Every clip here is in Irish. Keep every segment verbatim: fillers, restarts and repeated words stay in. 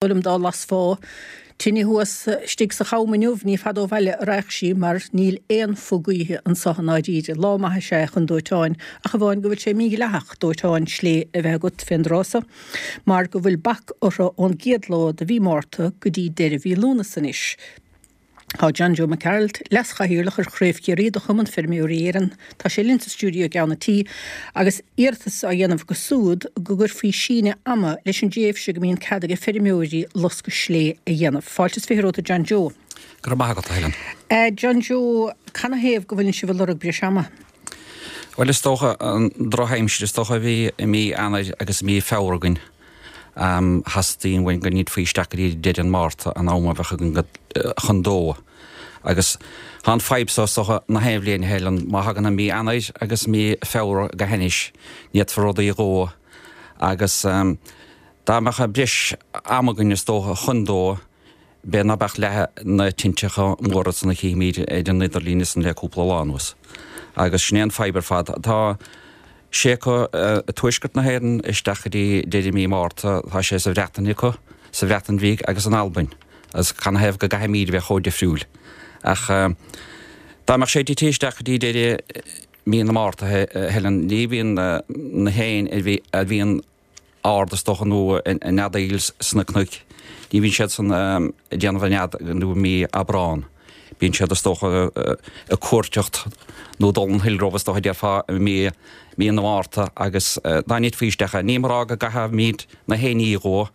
Liom dá lasfá tine thuas istigh sa cham inniu, ní fada ó bhaile a raghadh sí mar níl aon phuth gaoithe anseo i ndáiríre. Lá maith is ea é chun dóiteáin, ach amháin go bhfuil sé mídhleathach dóiteán slé a bheith agat fén dtráth so, mar go bhfuil bac orthu ón gcéad lá de mhí Márta go dtí deireadh mhí Lúnasa anois. Tá John Joe Mac Gearailt, Leas-Chathaoirleach ar Chraobh Chiarraí de Chumann Feirmeoirí Éireann, tá sé linn sa stiúideo i gceann an tí agus iarratas á dhéanamh acu siúd go gcuirfí síneadh ama leis an dtréimhse go mbíonn cead ag feirmeoirí loscadh slé a dhéanamh. Fáilte is fiche romhat a John Joe. Go raibh maith agat, a Helen. John Joe, canathaobh go bhfuileann sibh ag lorg breis ama? Bhuel, is dócha an drochaimsir is dócha a bhí i mí Eanáir agus i mí Feabhra againn. Theastaigh uainn go ndéanfaí isteach go dtí deireadh an Márta an am a bheadh againn chun dó. Agus tá an fadhb so is dócha na haon bhliain a Helen, má thagann an mí Eanáir agus mí Feabhra go hainnis, ní fhéadfar rudaí a dhó. Agus dá mbeadh breis ama againn is dócha chun dó, b'fhéidir ná beadh leath na tinteacha móra san a chífimid ar an idirlíon san le cúpla lá anuas. Agus sin é an fadhb ar fad. Tá sé acu i tuaisceart na hÉireann isteach go dtí deireadh mí Márta, tá sé sa Bhreatain acu, sa Bhreatain Bhig agus in Albain. Agus canathaobh go gcaithfimid a bheith chomh difriúil. Ach dá mbeadh sé tite isteach go dtí deireadh mí na Márta, a Helen, ní bhíonn na héin a bhíonn ard is dócha nó ag neadaíl sna cnoic, ní bhíonn siad san ag déanamh a nead nó mí Aibreán. Bíonn siad is dócha ag cuairteacht nó dul an hill róimh is dócha déarfá i mí mí na Márta agus dá ndéanfaí isteach é, nílim ag rá go gcaithfimid na héiní a dhó,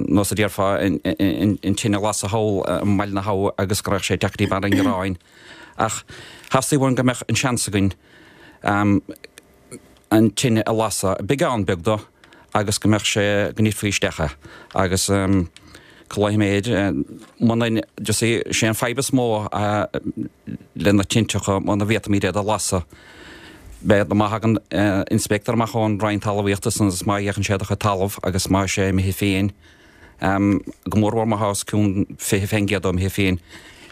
nós a déarfá an tine a lasadh thall i mBaile na hAbha agus go raghadh sé isteach go dtí Barr an Ghearáin. Ach theastaigh uainn go mbeadh an seans againn an tine a lasadh, beagán beag dó, agus go mbeadh sé, go ndéanfaí isteach é. Agus cloífidh mé air, muna, you see, sé an fadhb is mó le na tinteacha, muna bhféadfaimid iad a lasadh, beidh, má thagann inspector amach ón Roinn Talmhaíochta san agus má fhéachann sé do chuid talamh agus má sé imithe féin, go mórmhór má thá os cionn fiche fén gcéad dó imithe féin,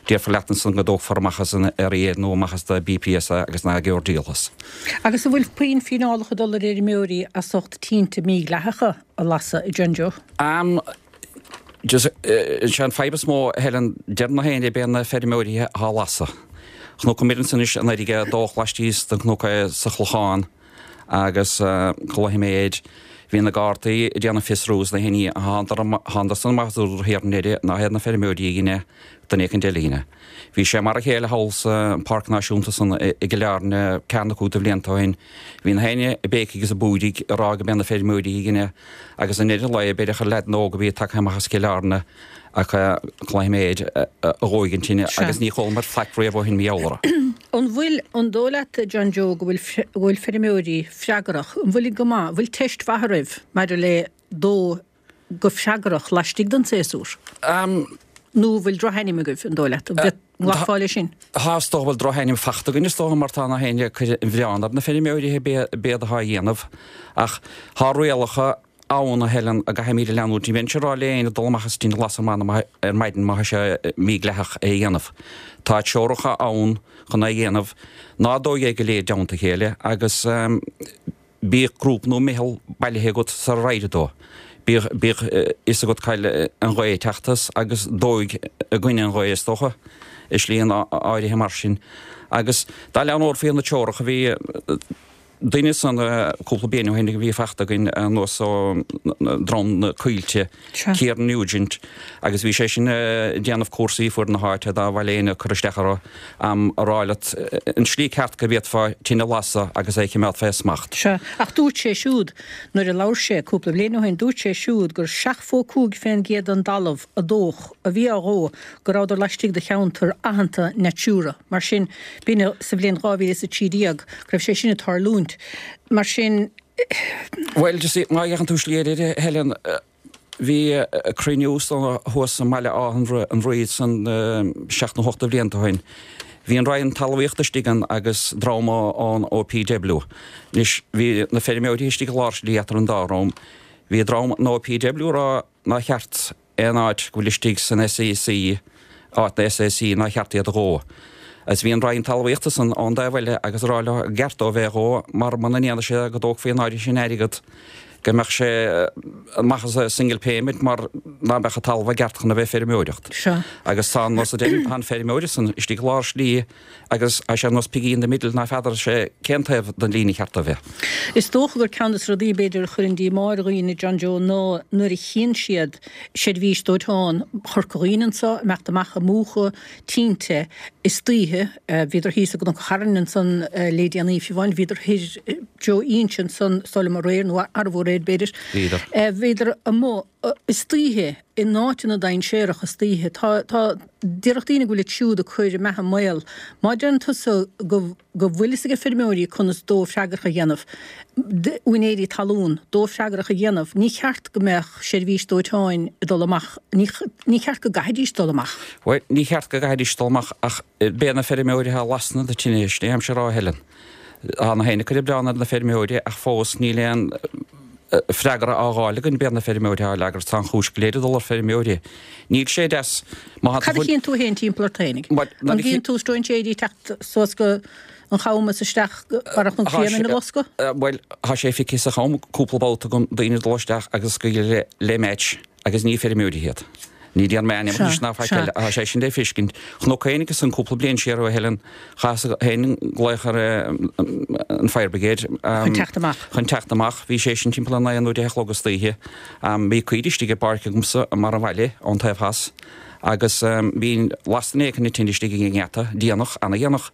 déarfar leat ansan go dtógfar amach as an R A nó amach as do B P S é agus ná gheobhair díol as. Agus an bhfuil puinn fíneálacha ag dul ar fheirmeoirí as ucht tinte mídhleathacha a lasadh, a John Joe? Um, just, uh, sé an fadhb is mó, Helen, deir na héinne b'é na feirmeoirí atá á lasadh. Chonac muid ansan anois an fharraige ag dódh laistíos den chnoc sa Chlochán agus cloífidh mé air, bhí na Gardaí ag déanamh fiosrú is na héinní a thángadar san amach is thiar i ndeireadh ná hiad na feirmeoirí a dhein é, duine éicint eile a dhein é. Bhí sé mar a chéile thall sa Pháirc Náisiúnta san i gCill Airne ceathair nó cúig de bhlianta ó shin. Bhí na héinne ag béicigh is ag búirigh ag rá go mb'é na feirmeoirí a dhein é agus i ndeireadh an lae b'fhéidir gur leaideanna óga a bhí tagtha amach as Cill Airne ach cloífidh mé air, a dhóigh an tine agus ní chualamar faic riamh ó shin mar gheall orthu. An bhfuil, an dóigh leat, a John Joe, go bhfuil, go bhfuil feirmeoirí freagrach, an bhfuil go maith, an bhfuil teist mhaith oraibh maidir le dó go freagrach laistigh den séasúr? Nó an bhfuil drochainm agaibh, an dóigh leat? An nglacfá leis sin? Tá, is dócha go bhfuil drochainm fachta againn, is dócha, mar tá na héinne ag cur an mhilleáin ar na feirmeoirí b'éad atá á dhéanamh. Ach tá rialacha ann, a Helen, a gcaithfimid a leanúint. Ní bheinnse ag rá le éinne dul amach is tine a lasadh ar maidin má tá sé mídhleathach é a dhéanamh. Tá treoracha ann chun é a dhéanamh. Ná dóigh é go léir i dteannta a chéile agus bíodh grúpa nó meitheal bailithe agat sar ar éirigh dó. Bíodh bíodh fhios agat cá bhfuil an ghaoth ag teacht as agus dóigh i gcoinne an ghaoth is dócha, i slí áirithe mar sin. Agus dá leanófaí na treoracha bhí duine san cúpla bliain ó shin a bhí fachta againn anuas ó Dhroim na Coillte, Kieran Nugent, agus bhí sé sin ag déanamh cúrsaí fuaid na háite dá mhaith le éinne cur isteach orthu, a rá leat an slí ceart go bhféadfá tine a lasadh agus é a chimeád fé smacht. Sea, ach dúirt sé siúd, nuair a labhair sé cúpla bliain ó shin, dúirt sé siúd gur seachtó cúig fén gcéad den dtalamh a dódh, a bhí á dhó, go rabhadar laistigh de cheantar aitheanta Natura. Mar sin, b'in sa bhliain dhá mhíle is a trí déag go raibh sé sin ag tarlúint. Mar sin. Bhuel, you see, má fhéachann tú slí eile air, Helen, bhí cruinniú thuas i mBaile Átha an Rí san seacht nó hocht de bhlianta ó shin. Bhí an Roinn Talmhaíochta istigh ann agus dream ón O P W. Anois, bhí na feirmeoirí istigh i lár slí eatar an dá dhream. Bhí dream an O P W ag rá nár cheart aon áit go bhfuil istigh san S A C, áit na S A C, nár cheart iad a dhó. Agus bhí an Roinn Talmhaíochta san ón dtaobh eile agus ag rá leo gur cheart dóibh é a dhó mar muna ndéanadh sé go dtógfaí an áirithe sin airgead go mbeadh sé amach as a single payment mar ná beadh an talamh i gceart chun a bheith feirmeoireacht. Seo. Agus tá an nós a deir an feirmeoir san istigh lár slí agus tá sé ar nós piggy in the middle ná feadar sé cén taobh den líne cheart a bheith. Is dócha gur ceann de na rudaí b'fhéidir a chuireann díomá ar dhaoine John Joe ná nuair a chíonn siad seirbhís dóiteáin Chorca Dhuibhne anso, imeacht amach ag múchadh tinte istoíche, bhíodar thíos i gCnoc an Chairn ansan le déanaí fiú amháin, bhíodar thoir Joe Inse ansan is dóigh liom aréir nó arbharéir b'fhéidir. Bhíodar. Bhíodar amuigh istoíche in áiteanna dainséarach istoíche. Tá, tá, déarfadh daoine go bhfuil iad siúd ag cur a mbeatha i mbaol. Má deireann tusa go, go bhfuil fhios ag feirmeoirí conas dó freagrach a dhéanamh, úinéirí talún, dó freagrach a dhéanamh, ní cheart go mbeadh seirbhís dóiteáin ag dul amach, ní, ní cheart go gcaithfidís dul amach. Bhuel, ní cheart go gcaithfidís dul amach ach b'é na feirmeoirí a lasann na tine, sin é aimsir a rá Helen. Tá na héin ag cur an milleán ar na feirmeoirí ach fós níl aon freagra á fháil againn b'é na feirmeoirí atá fhreagrach tá an chúis go léir ag dul ar feirmeoirí. Níl sé deas má Cad a chíonn tú féin timpeall ort fhéinig? An gcíonn tú stróinséirí ag teacht suas go an Cham is isteach go Barra Chnoc Síon ina loscadh? Bhuel, tá sé feicthe sa Cham cúpla babhta agam daoine ag dul isteach agus ag scaoileadh le match agus ní feirmeoirí iad. Ní déan mé ainm anois ná faic eile, tá sé sin le feiscint. Chonac féin agus an cúpla bliain siar ó Helen, chaitheas féin glaoch ar an Fire Brigade. Chun teacht amach. Chun teacht amach. Bhí sé sin timpeall a naoi nó deich a chlog istoíche. Bhí caoirigh istigh i bpáirc agamsa i mbarr an bhaile ón taobh theas agus bhí lasta in aice na tine istigh ag an ngeata, déanach, ana-dhéanach.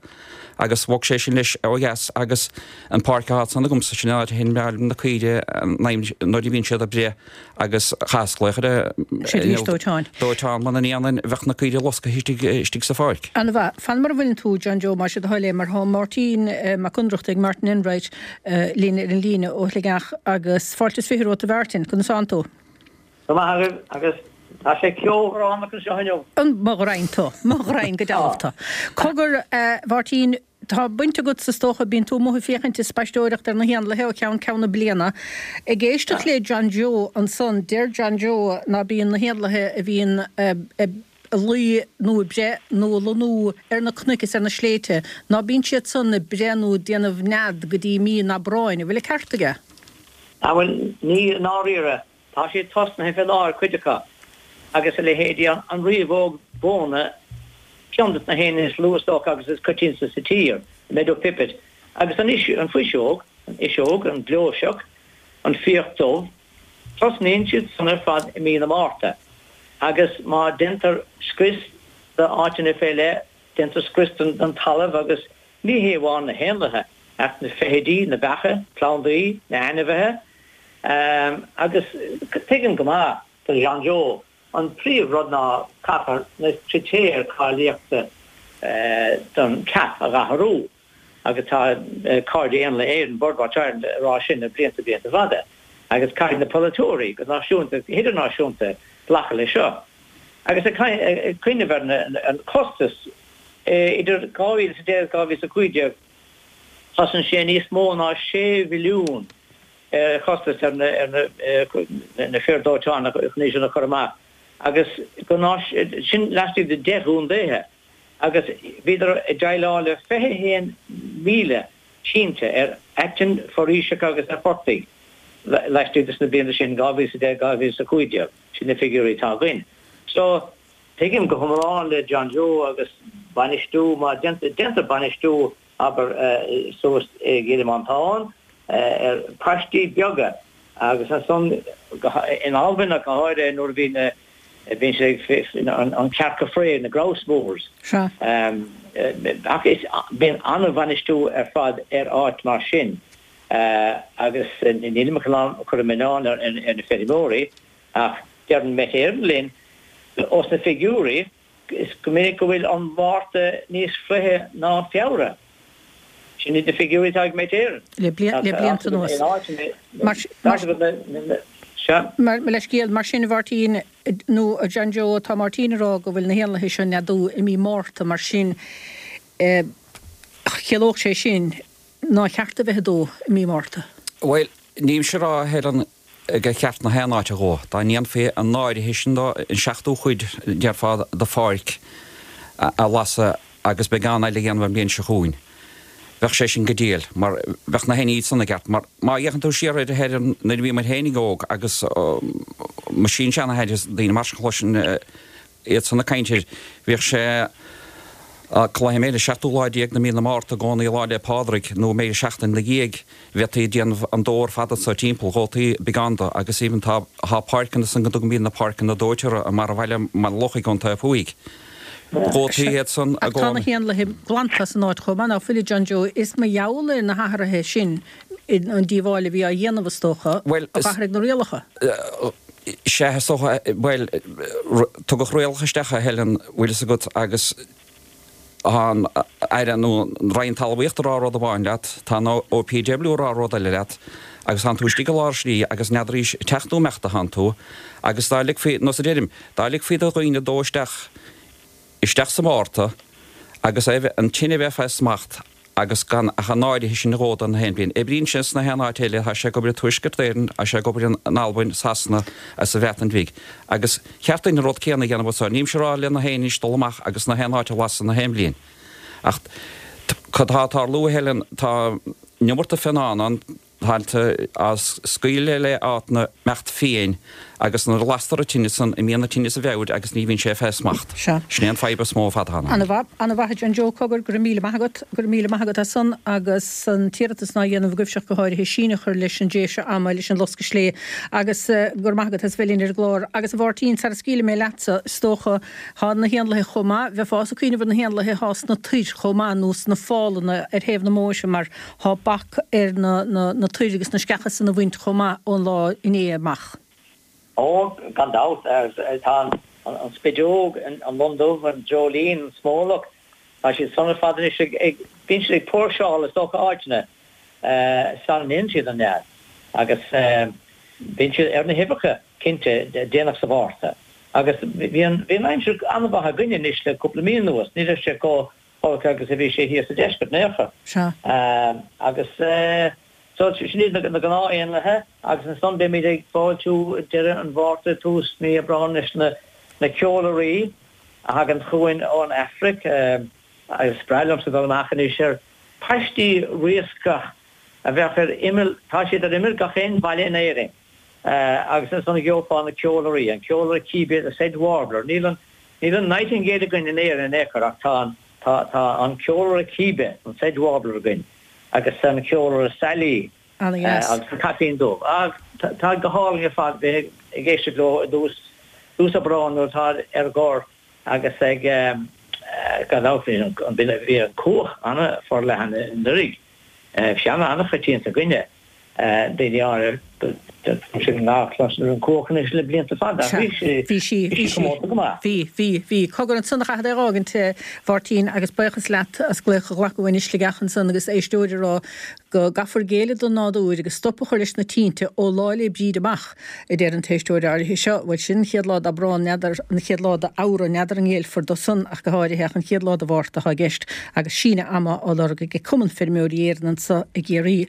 Agus bhog sé sin leis ó dheas agus an páirc atá ansan agamsa, sin an áit a sheinn na caoirigh nuair a bhíonn siad ag breith agus chaitheas glaoch ar an Seirbhís dóiteáin. dóiteán muna ndéanfainn bheadh na caoirigh losctha istigh istigh sa pháirc. Ana-mhaith. Fan mar a bhfuileann tú, John Joe, más é do thoil é, mar tá Máirtín Mac Ionnrachtaigh, Martin Enright, linn ar an líne ó Shligeach agus fáilte is fiche romhat a Mhartin, conas tánn tú? Go maith agaibh agus tá sé ceobhránach anseo inniu. An mo ghraidhin tú, mo ghraidhin go dealbh tú. Cogar, a Mháirtín, tá baint agat is dócha, bíonn tú amuigh ag féachaint is spaisteoireacht ar na héanlaithe ó cheann ceann na bliana. Ag éisteacht le John Joe ansan, deir John Joe ná bíonn na héanlaithe a bhíonn ag luí nó ag breith nó ag lonnú ar na cnoic is ar na sléibhte, ná bíonn siad san ag breith nó ag déanamh nead go dtí mí an Aibreáin. An bhfuil an ceart aige? Ah bhuel, ní i ndáiríre. Tá siad tosnaithe fé láthair, cuid acu, agus a leithéidí an riabhóg mhóna, ceann de na héin is lú is dócha agus is coitianta sa tír, the meadow pipit, agus an fuiseog, an fhuiseog, an ghleoiseach, an fiach dubh, tosnaíonn siad san ar fad i mí na Márta, agus má déantar scrios d'áiteanna fé leith, déantar scrios den talamh agus ní hé amháin na héanlaithe ach na feithidí, na beacha, plandaí, na hainmhithe. Agus tuigim go maith do John Joe, an príomh rud ná caithfear na critéir cáilíochta don CAP a dh'athrú agus tá Cairde Éanlaithe Éireann, Birdwatch Ireland, ag rá sin le blianta blianta fada agus caithfidh na polaiteoirí go náisiúnta agus go hidirnáisiúnta glacadh leis seo. Agus ag cuimhneamh ar an costas idir dhá mhíle is a deich agus dhá mhíle is a cúig déag, chosain sé níos mó ná sé bhilliún ar chostas ar na fir dóiteáin chun é sin a chur amach agus go sin laistigh de deich gcontaetha agus bhíodar ag déileáil le fiche haon míle tinte ar aitinn foraoiseacha agus ar phortaigh laistigh de na blianta sin, dhá mhíle is a deich, dhá mhíle is a cúig déag, sin na figiúirí atá againn. So, tuigim go hiomlán le John Joe agus bainistiú, má déantar bainistiú abair, suas i gCill Mhantáin, ar phaistí beaga agus ansan in Albain ach go háirithe nuair a bhí na, bíonn sé ag, an cearca fraoigh, na grouse moors. Sea. Ach is, bíonn an-bhainistiú ar fad ar áit mar sin agus nílim ag cur an milleán ar na feirmeoirí ach deireann Met Éireann linn ós na figiúirí, Is go minic go bhfuil an Márta níos fliche ná Feabhra. Sin iad na figiúirí atá ag Met Éireann. Le blianta anuas. Mar leithscéal, mar sin, a Mháirtín, nó a John Joe, tá Máirtín ag rá go bhfuil na héanlaithe seo ag neadú i mí Márta, mar sin, chiallódh sé sin nár cheart a bheith ag dó i mí Márta. Bhuel, nílimse ag rá, a Helen, gur cheart na haon áit a dhó. Dá ndéanfaí an áirithe sin dó, an seachtú cuid, déarfá, de pháirc a lasadh agus beagán eile a dhéanamh an bhliain seo chugainn, Bheadh sé sin go diail, mar bheadh na héin sona i gceart, mar má fhéachann tú siar ar ar nuair a bhí muid féinig óg agus mo sin-seanathair is daoine mar sin chloisinn iad san ag caint air, bhíodh sé cluiche mb'fhéidir seachtú lá déag de mí na Márta i gcónaí Lá 'le Pádraig nó mb'fhéidir seachtain 'na dhiaidh bheifí ag déanamh an dó ar fad anso timpeall, dhótaí beagán de agus even tá tá páirceanna san go dtugaimid na páirceanna dóite orthu i mbarr an bhaile i mBaile Locha i gContae Fuaidh. Dhótaí iad san i Ach tá na gcónaí. héanlaithe glanta as an áit chomh maith, ná fuil a John Joe? Is mar gheall ar na hathruithe sin, an díobháil a bhí á dhéanamh is dócha, Bhuel, a d'athraigh na rialacha. Sea, is dócha, bhuel, tugadh rialacha isteach a Helen, bhfuil fhios agat, agus tá an Aire nó an Roinn Talmhaíochta ag rá rud amháin leat, tá an OPW ag rá rud eile leat, agus tánn tú istigh i lár slí agus n'fheadaraís teacht nó imeacht a thánn tú, agus dá ligfí, nós a deirim, dá ligfí do dhaoine dó isteach, isteach sa Mhárta agus é bheith, an tine bheith fé smacht agus gan ach an áirithe sin a dhó don haon bhliain. Oibríonn sé sna haon áit eile, tá sé ag obair i Tuaisceart Éireann, tá sé ag obair in Albain, Sasana agus sa Bhreatain Bhig. Agus cheart dúinn an rud céanna a dhéanamh anso. Nílimse ag rá le na héinne anois dul amach agus na haon áit a lasadh na haon bhliain. Ach cad tá ag tarlú, a Helen, tá an iomarca fionnán ann, tailte á scaoileadh le áiteanna mbeacht fiáin agus nuair a lastar an tine san, imíonn an tine as a mheabhair agus ní bhíonn sé fé smacht. Sea. Sin é an fadhb is mó ar fad atá ann. Ana mhaith, ana mhaith a John Joe, cogar, go raibh míle maith agat, go raibh míle maith agat as san agus an t-iarratas ná dhéanamh agaibhse ach go háirithe síneadh a chur leis an dtréimhse ama leis an loscadh slé agus go raibh maith agat as bheith linn ar an gclár. Agus a Mháirtín, sara scaoilfidh mé leatsa, is dócha, thá na héanlaithe chomh maith, bheifeása ag cuimhneamh ar na héanlaithe athá sna toir chomh maith nó sna fálanna ar thaobh na mbóithre mar thá bac ar na na toir agus na sceacha san a bhaint chomh maith ón lá inné amach. Ó, gan dabht, tá an spideog, an lon dubh, an dreoilín, an smólach, tá siad san ar fad anois ag, bíonn siad ag póirseáil is dócha áiteanna sara ndéanann siad an nead agus bíonn siad ar na huibheacha, cinnte, déanach sa Mhárta. Agus bhí an, bhí an aimsir an-mhaith againne anois le cúpla mí anuas, ní raibh sé chomh holc agus a bhí sé thíos sa deisceart in aon chor. Sea. Agus so sin iad na gnáth-éanlaithe agus ansan beimid ag fáiltiú deireadh an Mhárta, tús mí Aibreáin leis na na ceolairí a thagann chugainn ón Afraic agus is breá liomsa dul amach anois ar paistí riascach a bheadh ar imeall, tá siad ar imeall gach aon bhaile in Éirinn agus ansan gheofá na ceolairí, an ceolaire cíbe, the sedge warbler, níl an níl an nightingale againn in Éirinn in aon chor ach tá an tá tá an ceolaire cíbe, an sedge warbler againn agus an ceolaire sailí Ana-dheas. agus an caipín dubh. Ach tá go hálainn ar fad bheith ag éisteacht leo i dtús tús Aibreáin nuair atá ar gor agus ag gan dabht bhí an bhí an cuach an-fhorleathan anuraidh. Bhí sé an-choitianta againne. Daoine áirithe sin nach cloistear an cuach anois le blianta fada ach bhí sí Bhí sí, bhí bhí sí sí. comórta go maith. Bhí, bhí, bhí. Cogar ansan a chaithfead é a dh'fhágaint, a Mháirtín, agus buíochas leat as glaoch a ghlacadh uainn i Sligeach ansan agus éisteoir ag rá go gcaithfear géilleadh don nádúr agus stop a chur leis na tinte ó Lá 'le Bríde amach, a deir an t-éisteoir áirithe seo. Bhuel, sin an chéad lá d'Aibreán, n'fheadar, an chéad lá d'Fheabhra, n'fheadar an ngéillfear dó san ach go háirithe, ach an chéad lá de Mhárta atá i gceist agus síneadh ama á lorg ag Cumann Feirmeoirí Éireann anso i gCiarraí.